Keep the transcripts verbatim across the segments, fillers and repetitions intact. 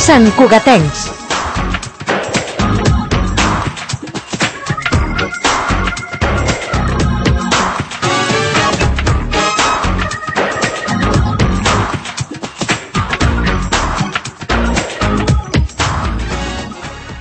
Sant Cugatencs.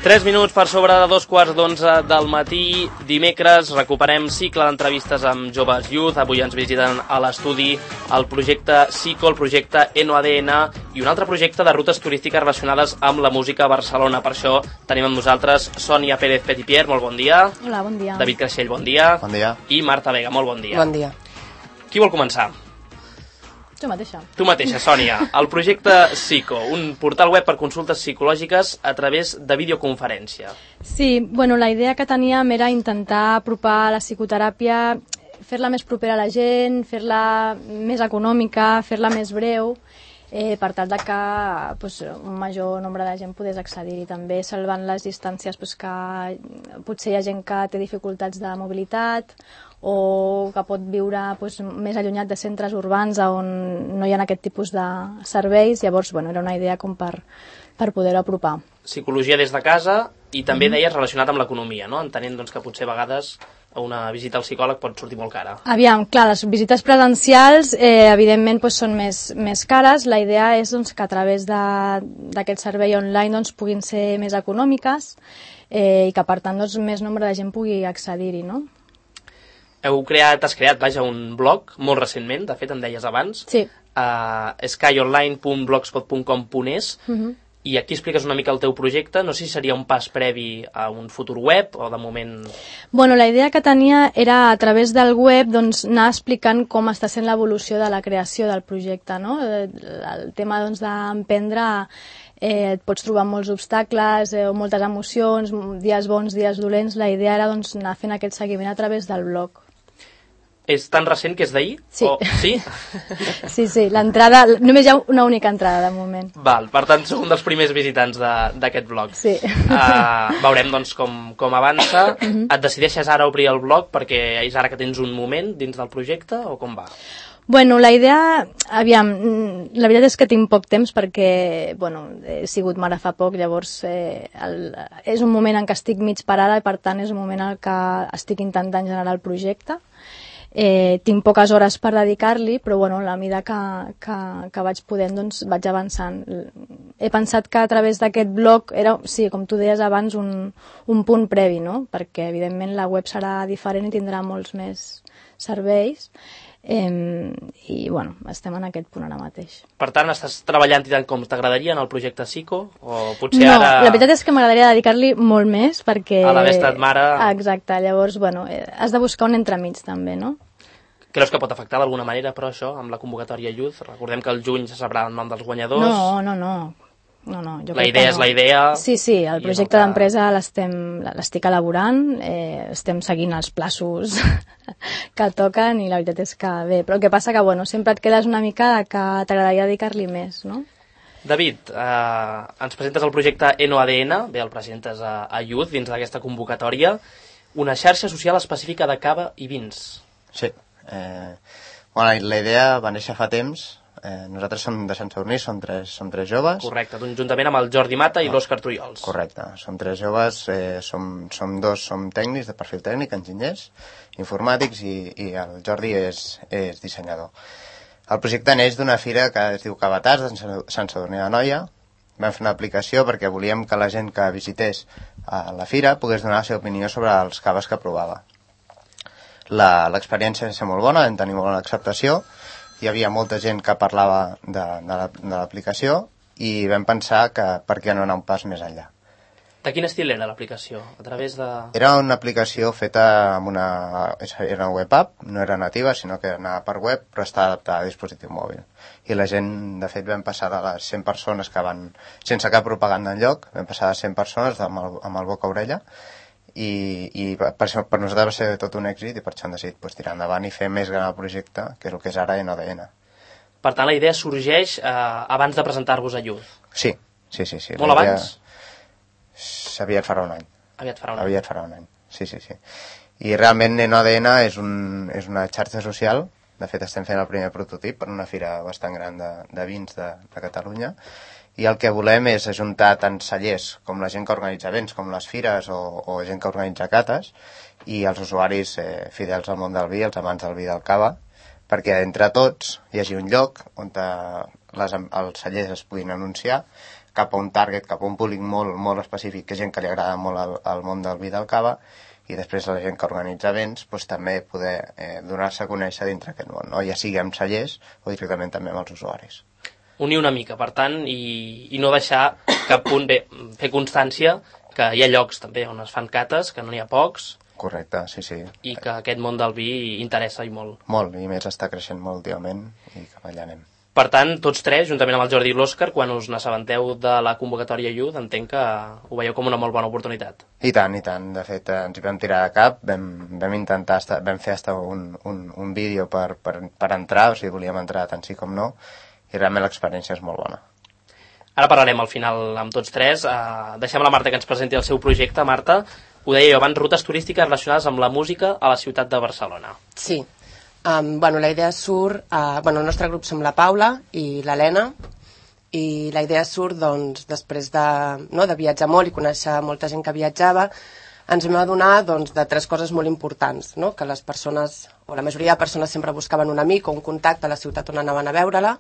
Tres minuts per sobre de dos quarts d'onze del matí. Dimecres recuperem cicle d'entrevistes amb joves youth. Avui ens visiten a l'estudi el projecte SICO, el projecte Eno A D N i un altre projecte de rutes turístiques relacionades amb la música a Barcelona. Per això tenim amb nosaltres Sònia Pérez Petitpier, molt bon dia. Hola, bon dia. David Creixell, bon dia. Bon dia. I Marta Vega, molt bon dia. Bon dia. Qui vol començar? Tu mateixa. Tu mateixa, Sònia. El projecte SICO, un portal web per consultes psicològiques a través de videoconferència. Sí, bueno, la idea que teníem era intentar apropar la psicoteràpia, fer-la més propera a la gent, fer-la més econòmica, fer-la més breu, eh, per tal de que pues, un major nombre de gent pogués accedir-hi. També salvant les distàncies pues, que potser hi ha gent que té dificultats de mobilitat o que pot viure pues, més allunyat de centres urbans on no hi ha aquest tipus de serveis. Llavors, bueno, era una idea com per, per poder-ho apropar. Psicologia des de casa i també mm. deies relacionat amb l'economia, no? Entenent doncs, que potser a vegades una visita al psicòleg pot sortir molt cara. Aviam, clar, les visites presencials eh, evidentment doncs, són més, més cares. La idea és doncs, que a través d'aquest servei online doncs, puguin ser més econòmiques eh, i que per tant doncs, més nombre de gent pugui accedir-hi, no? Heu creat, has creat, vaja, un blog molt recentment, de fet em deies abans, sí. uh, skyonline punt blogspot punt com punt es, uh-huh. i aquí expliques una mica el teu projecte. No sé si seria un pas previ a un futur web o de moment... Bueno, la idea que tenia era a través del web doncs, anar explicant com està sent l'evolució de la creació del projecte, no? El tema doncs, d'emprendre eh, et pots trobar molts obstacles eh, o moltes emocions, dies bons, dies dolents. La idea era doncs, anar fent aquest seguiment a través del blog. És tan recent que és d'ahir? Sí. O... Sí? sí, sí, l'entrada, només hi ha una única entrada de moment. Val, per tant, sou un dels primers visitants d'aquest blog. Sí. Uh, veurem doncs com, com avança. Uh-huh. Et decideixes ara obrir el blog perquè és ara que tens un moment dins del projecte o com va? Bueno, la idea, aviam, la veritat és que tinc poc temps perquè, bueno, he sigut mare fa poc, llavors eh, el, és un moment en què estic mig parada i per tant és un moment en què estic intentant generar el projecte. Eh, tinc poques hores per dedicar-li, però bueno, a la mida que, que, que vaig podent doncs vaig avançant. He pensat que a través d'aquest blog era, sí, com tu deies abans, un, un punt previ, no? Perquè evidentment la web serà diferent i tindrà molts més serveis. Eh, i bueno, estem en aquest punt ara mateix. Per tant, estàs treballant i tant com t'agradaria en el projecte SICO? O potser no, ara... la veritat és que m'agradaria dedicar-li molt més perquè... A l'haver estat mare... Exacte, llavors, bueno, has de buscar un entremig també, no? Creus que pot afectar d'alguna manera, però això, amb la convocatòria Youth? Recordem que el juny se sabrà el nom dels guanyadors. No, no, no. No, no, jo la idea no. és la idea. Sí, sí, el projecte el que... d'empresa l'estic elaborant, eh, estem seguint els plaços que toquen i la veritat és que bé, però el que passa que bueno, sempre et quedes una mica que t'agradaria dedicar-li més, no? David, eh, ens presentes el projecte Eno A D N, bé, el presentes a, a Youth dins d'aquesta convocatòria, una xarxa social específica de cava i vins. Sí, eh, bueno, la idea va néixer fa temps. Eh, nosaltres som de Sant Sadurní, som tres, som tres joves. Correcte, juntament amb el Jordi Mata i oh, l'Òscar Trullols. Correcte, som tres joves, eh, som, som dos som tècnics, de perfil tècnic, enginyers, informàtics i, i el Jordi és, és dissenyador. El projecte neix d'una fira que es diu Cavatars, de Sant Sadurní d'Anoia. Vam fer una aplicació perquè volíem que la gent que visités a la fira pogués donar la seva opinió sobre els caves que provava. L'experiència va ser molt bona, vam tenir molt bona acceptació. Hi havia molta gent que parlava de, de l'aplicació i vam pensar que per què no anar un pas més enllà. De quin estil era l'aplicació? A través de... Era una aplicació feta amb una... Era una web app, no era nativa, sinó que anava per web, però està adaptada a dispositiu mòbil. I la gent, de fet, vam passar de les cent persones que van, sense cap propaganda enlloc, vam passar de cent persones amb el, amb el boca-orella, i, i per, per nosaltres va ser tot un èxit i per això hem decidit pues, tirar endavant i fer més gran el projecte, que és el que és ara Eno A D N. Per tant, la idea sorgeix eh, abans de presentar-vos a Youth. Sí, sí, sí. sí. Molt abans? Aviat farà un any. Aviat farà un any. Aviat farà un any, sí, sí, sí. I realment Eno A D N és, un, és una xarxa social. De fet, estem fent el primer prototip per una fira bastant gran de, de vins de, de Catalunya. I el que volem és ajuntar tant cellers com la gent que organitza events, com les fires o, o gent que organitza cates, i els usuaris eh, fidels al món del vi, els amants del vi del cava, perquè entre tots hi hagi un lloc on les, els cellers es puguin anunciar cap a un target, cap a un públic molt, molt específic, que és gent que li agrada molt el, el món del vi del cava, i després la gent que organitza events doncs, també poder eh, donar-se a conèixer dintre aquest món, no? Ja sigui amb cellers o directament també amb els usuaris. Unir una mica, per tant, i, i no deixar cap punt, bé, fer constància que hi ha llocs també on es fan cates, que no n'hi ha pocs. Correcte, sí, sí. I que aquest món del vi interessa i molt. Molt, i més està creixent molt últimament i cap allà anem. Per tant, tots tres, juntament amb el Jordi i l'Òscar, quan us n'assabenteu de la convocatòria Youth, entenc que ho veieu com una molt bona oportunitat. I tant, i tant. De fet, ens hi vam tirar de cap, vam, vam intentar, estar, vam fer hasta un, un, un vídeo per, per, per entrar, o sigui, volíem entrar tant sí com no, i realment l'experiència és molt bona. Ara parlarem al final amb tots tres. Uh, deixem a la Marta que ens presenti el seu projecte. Marta, ho deia jo abans, rutes turístiques relacionades amb la música a la ciutat de Barcelona. Sí. Um, bueno, la idea surt... Uh, bueno, el nostre grup som la Paula i l'Helena, i la idea surt, doncs, després de, no, de viatjar molt i conèixer molta gent que viatjava, ens vam adonar doncs, de tres coses molt importants, no? Que les persones, o la majoria de persones sempre buscaven un amic o un contacte a la ciutat on anaven a veure-la,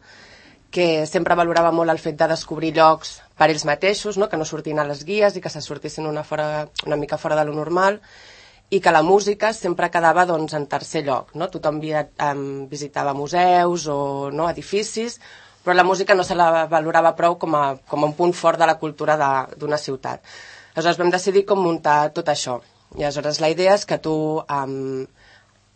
que sempre valorava molt el fet de descobrir llocs per ells mateixos, no? Que no sortin a les guies i que se sortissin una, fora, una mica fora de lo normal, i que la música sempre quedava doncs, en tercer lloc. No? Tothom via, um, visitava museus o no, edificis, però la música no se la valorava prou com a, com a un punt fort de la cultura d'una ciutat. Aleshores vam decidir com muntar tot això. I aleshores la idea és que tu, um,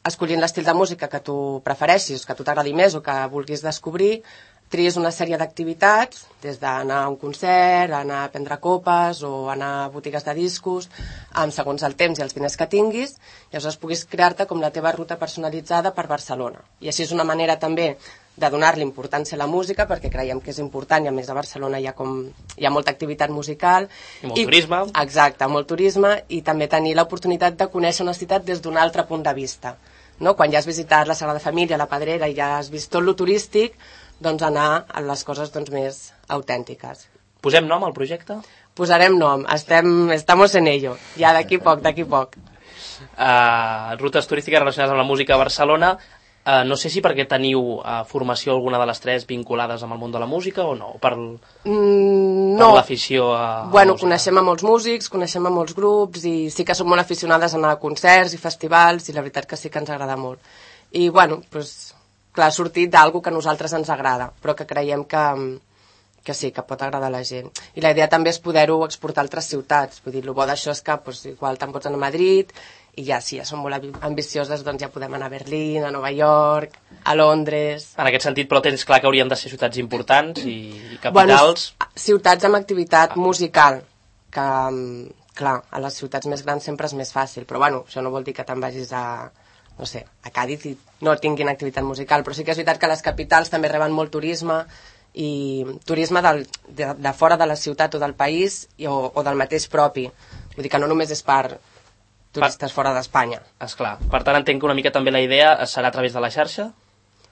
escollint l'estil de música que tu prefereixis, que a tu t'agradi més o que vulguis descobrir, tries una sèrie d'activitats, des d'anar a un concert, anar a prendre copes o anar a botigues de discos, amb segons el temps i els diners que tinguis, i aleshores puguis crear-te com la teva ruta personalitzada per Barcelona. I així és una manera també de donar-li importància a la música, perquè creiem que és important, i a més a Barcelona hi ha, com, hi ha molta activitat musical. I molt i, turisme. Exacte, molt turisme, i també tenir l'oportunitat de conèixer una ciutat des d'un altre punt de vista. No? Quan ja has visitat la Sagrada Família, la Pedrera, i ja has vist tot lo turístic, doncs anar a les coses doncs, més autèntiques. Posem nom al projecte? Posarem nom, estem, estamos en ello, ja d'aquí poc, d'aquí poc. Uh, rutes turístiques relacionades amb la música a Barcelona. Uh, no sé si perquè teniu uh, formació alguna de les tres vinculades amb el món de la música o no? Per, mm, no. per l'afició a, a bueno, la música? Coneixem a molts músics, coneixem a molts grups i sí que som molt aficionades a anar a concerts i festivals i la veritat que sí que ens agrada molt. I bueno, doncs, clar, ha sortit d'algú que a nosaltres ens agrada, però que creiem que, que sí, que pot agradar a la gent. I la idea també és poder-ho exportar a altres ciutats. Vull dir, el bo d'això és que doncs, igual te'n pots anar a Madrid, i ja, si ja som molt ambicioses, doncs ja podem anar a Berlín, a Nova York, a Londres... En aquest sentit, però tens clar que haurien de ser ciutats importants i, i capitals... Bueno, ciutats amb activitat musical, que, clar, a les ciutats més grans sempre és més fàcil, però bueno, això no vol dir que te'n vagis a, no sé, a Càdiz i no tinguin activitat musical, però sí que és veritat que les capitals també reben molt turisme, i turisme del, de, de fora de la ciutat o del país i, o, o del mateix propi. Vull dir que no només és per turistes per... fora d'Espanya. Esclar. Per tant, entenc que una mica també la idea serà a través de la xarxa?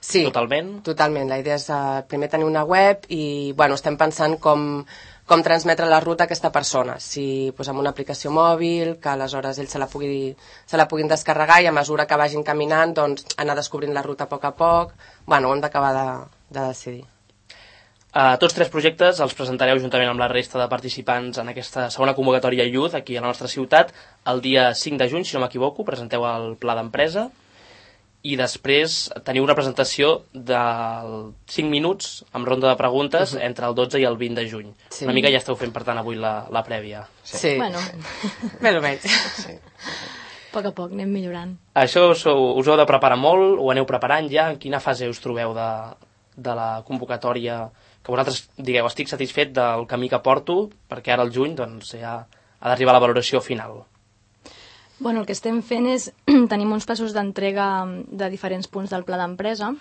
Sí, totalment. totalment. La idea és uh, primer tenir una web i bueno, estem pensant com, com transmetre la ruta a aquesta persona. Si pues, amb una aplicació mòbil, que aleshores ells se la, pugui, se la puguin descarregar i a mesura que vagin caminant doncs, anar descobrint la ruta a poc a poc. Bueno, ho hem d'acabar de, de decidir. Uh, tots tres projectes els presentareu juntament amb la resta de participants en aquesta segona convocatòria Youth aquí a la nostra ciutat el dia cinc de juny, si no m'equivoco, presenteu el pla d'empresa i després teniu una presentació de cinc minuts amb ronda de preguntes uh -huh. entre el dotze i el vint de juny. Sí. Una mica ja esteu fent, per tant, avui la, la prèvia. Sí. sí. Bueno. Més o menys. Sí. A poc a poc anem millorant. Això us, us heu de preparar molt, ho aneu preparant ja? En quina fase us trobeu de, de la convocatòria? Que vosaltres digueu, estic satisfet del camí que porto, perquè ara al juny doncs, ja ha d'arribar la valoració final. Bueno, el que estem fent és tenim uns passos d'entrega de diferents punts del pla d'empresa.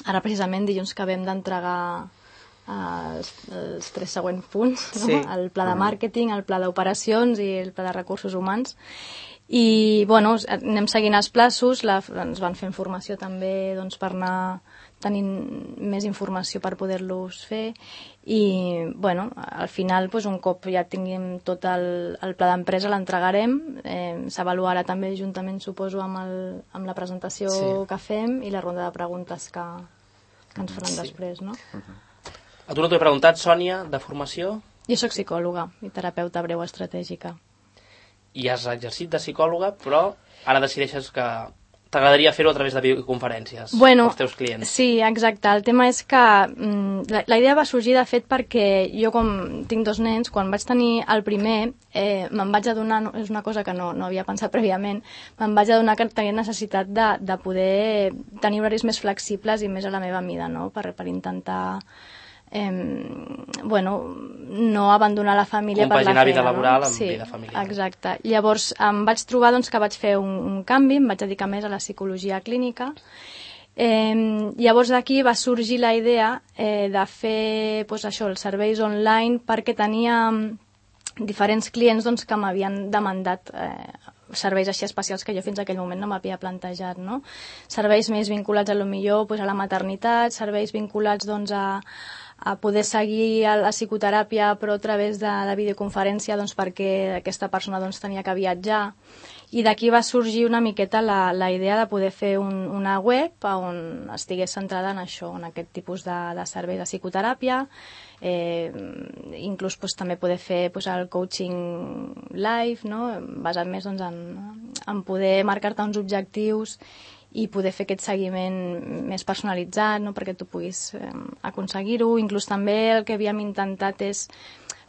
Ara, precisament, dilluns que vam d'entregar eh, els, els tres següents punts, no? Sí. El pla de màrqueting, el pla d'operacions i el pla de recursos humans. I, bueno, anem seguint els plaços, la, ens van fent formació també doncs, per anar tenint més informació per poder-los fer i, bueno, al final, doncs, un cop ja tinguem tot el, el pla d'empresa, l'entregarem, eh, s'avaluarà també juntament, suposo, amb, el, amb la presentació sí. que fem i la ronda de preguntes que, que ens faran sí. després, no? A tu no t'ho he preguntat, Sònia, de formació? Jo soc psicòloga i terapeuta breu estratègica. I has exercit de psicòloga, però ara decideixes que t'agradaria fer-ho a través de videoconferències bueno, als teus clients. Sí, exacte. El tema és que mm, la, la idea va sorgir, de fet, perquè jo, com tinc dos nens, quan vaig tenir el primer, eh, me'n vaig adonar, no, és una cosa que no, no havia pensat prèviament, me'n vaig adonar que tenia necessitat de, de poder tenir horaris més flexibles i més a la meva mida, no? per, per intentar... Eh, bueno, no abandonar la família per la feina. Compaginar vida laboral no? amb sí, vida familiar. Exacte. Llavors em vaig trobar doncs, que vaig fer un, un canvi, em vaig dedicar més a la psicologia clínica. Eh, llavors d'aquí va sorgir la idea eh, de fer doncs, això, els serveis online, perquè tenia diferents clients doncs, que m'havien demandat eh, serveis així especials que jo fins a aquell moment no m'havia plantejat, no? Serveis més vinculats a lo millor doncs, a la maternitat, serveis vinculats doncs, a a poder seguir la psicoteràpia però a través de la videoconferència doncs, perquè aquesta persona doncs, tenia que viatjar. I d'aquí va sorgir una miqueta la, la idea de poder fer un, una web on estigués centrada en això, en aquest tipus de, de servei de psicoteràpia, eh, inclús pues, també poder fer pues, el coaching live, no? Basat més doncs, en, en poder marcar-te uns objectius i poder fer aquest seguiment més personalitzat, no? Perquè tu puguis eh, aconseguir-ho. Inclús també el que havíem intentat és,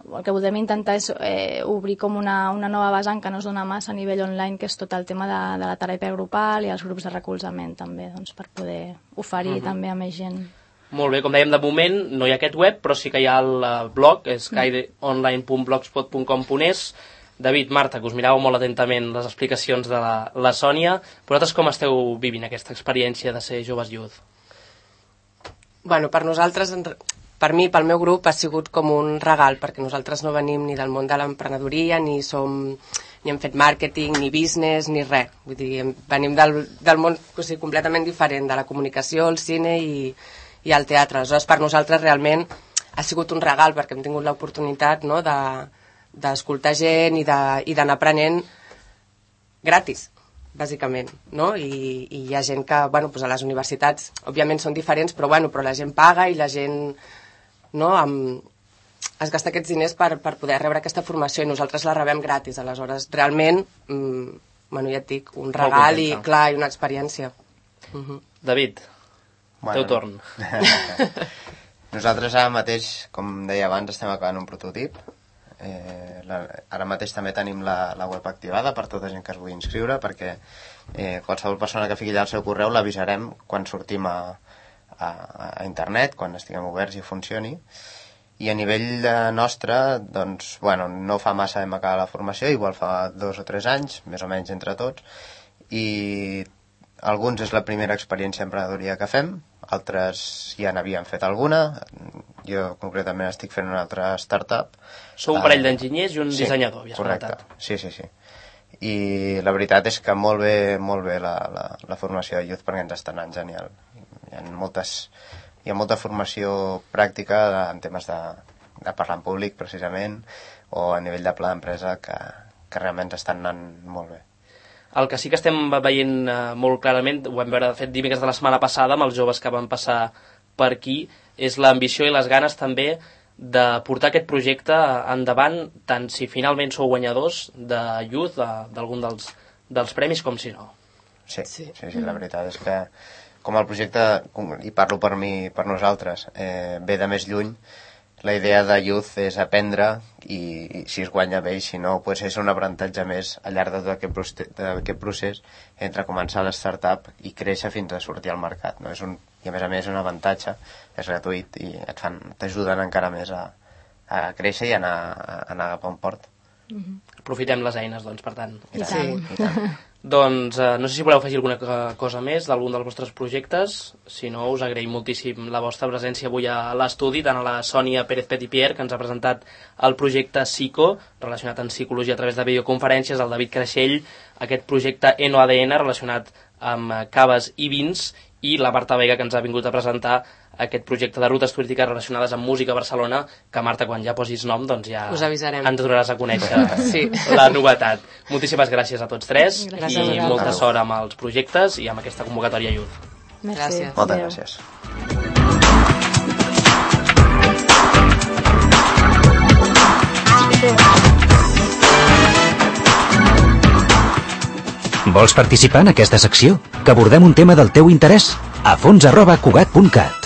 el que volem intentar és eh, obrir com una, una nova vessant que no es dona massa a nivell online, que és tot el tema de, de la teràpia grupal i els grups de recolzament també, doncs, per poder oferir uh-huh. també a més gent. Molt bé, com dèiem, de moment no hi ha aquest web, però sí que hi ha el blog, és skydeonline punt blogspot punt com punt es. David, Marta, que us miràveu molt atentament les explicacions de la, la Sònia, vosaltres com esteu vivint aquesta experiència de ser joves youth? Bueno, per nosaltres, per mi, pel meu grup, ha sigut com un regal, perquè nosaltres no venim ni del món de l'emprenedoria, ni som, ni hem fet màrqueting, ni business, ni res. Vull dir, venim del, del món o sigui, completament diferent, de la comunicació, el cine i, i el teatre. Aleshores, per nosaltres realment ha sigut un regal, perquè hem tingut l'oportunitat, no?, de d'escoltar gent i d'anar aprenent gratis, bàsicament, no? I, i hi ha gent que, bueno, doncs a les universitats, òbviament són diferents, però, bueno, però la gent paga i la gent, no?, amb, es gasta aquests diners per, per poder rebre aquesta formació i nosaltres la rebem gratis, aleshores, realment, mmm, bueno, ja et dic, un regal i, clar, i una experiència. Uh-huh. David, bueno, teu torn. Nosaltres ara mateix, com deia abans, estem acabant un prototip. Eh, la, ara mateix també tenim la, la web activada per tota gent que es vulgui inscriure, perquè eh, qualsevol persona que fiqui allà el seu correu l'avisarem quan sortim a, a, a internet, quan estiguem oberts i funcioni. I a nivell de nostre, doncs, bueno, no fa massa hem acabat la formació, igual fa dos o tres anys, més o menys entre tots, i alguns és la primera experiència d'emprenedoria que fem, altres ja n'havien fet alguna. Jo concretament estic fent una altra startup. Sou un parell uh, d'enginyers i un sí, dissenyador, havies correcte. comentat. Sí, sí, sí. I la veritat és que molt bé, molt bé la, la, la formació de Youth, perquè ens està anant genial. Hi ha, moltes, hi ha molta formació pràctica en temes de, de parlar en públic, precisament, o a nivell de pla d'empresa, que, que realment ens estan anant molt bé. El que sí que estem veient uh, molt clarament, ho vam veure de fet dimecres de la setmana passada amb els joves que van passar per aquí, és l'ambició i les ganes també de portar aquest projecte endavant, tant si finalment sou guanyadors de Youth, d'algun dels, dels premis, com si no. Sí, sí, sí, sí, la veritat és que com el projecte, i parlo per mi, per nosaltres, eh, ve de més lluny, la idea de Youth és aprendre i, i si es guanya bé i si no, pues és un aprenentatge més al llarg de tot aquest procés, aquest procés entre començar la startup i créixer fins a sortir al mercat, no? És un, i a més a més és un avantatge, és gratuït i et fan, t'ajuden encara més a, a créixer i a anar, a anar cap a on port. Mm-hmm. Aprofitem les eines, doncs, per tant. I tant. Sí. I tant. Doncs eh, no sé si voleu afegir alguna cosa més d'algun dels vostres projectes, si no us agraïm moltíssim la vostra presència avui a l'estudi, tant a la Sònia Pérez Petitpierre, que ens ha presentat el projecte Psico, relacionat amb psicologia a través de videoconferències, el David Creixell, aquest projecte Eno A D N relacionat amb caves i vins, i la Marta Vega, que ens ha vingut a presentar aquest projecte de rutes turístiques relacionades amb música a Barcelona, que Marta, quan ja posis nom, doncs ja us avisarem. Ens donaràs a conèixer sí. la novetat. Moltíssimes gràcies a tots tres gràcies i molta sort amb els projectes i amb aquesta convocatòria Youth. Gràcies. Moltes gràcies. Vols participar en aquesta secció? Que abordem un tema del teu interès? a fons arroba cugat punt cat